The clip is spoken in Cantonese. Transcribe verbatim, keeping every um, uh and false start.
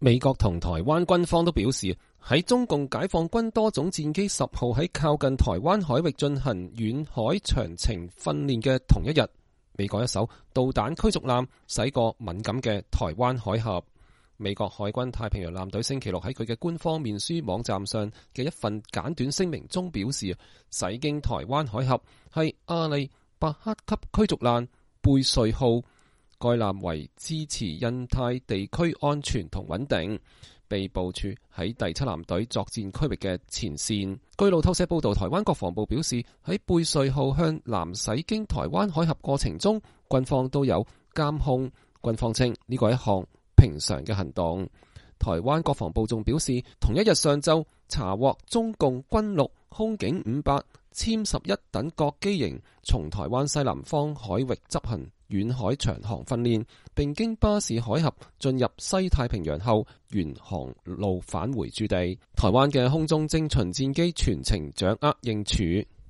美國同台灣軍方都表示，喺中共解放軍多種戰機十號喺靠近台灣海域進行遠海長程訓練嘅同一日，美國一艘導彈驅逐艦駛過敏感嘅台灣海峽。美國海軍太平洋艦隊星期六喺佢嘅官方面書網站上嘅一份簡短聲明中表示，駛經台灣海峽係阿利伯克級驅逐艦貝瑞號。該艦為支持印太地區安全同穩定，被部署喺第七艦隊作戰區域嘅前線。據路透社報道，台灣國防部表示，喺貝瑞號向南駛經台灣海峽過程中，軍方都有監控。軍方稱呢個係一項平常嘅行動。台灣國防部仲表示，同一日上晝查獲中共軍陸空警五百殲十一等各機型從台灣西南方海域執行遠海長航訓練，並經巴士海峽進入西太平洋後，沿航路返回駐地。台灣嘅空中精巡戰機全程掌握應處。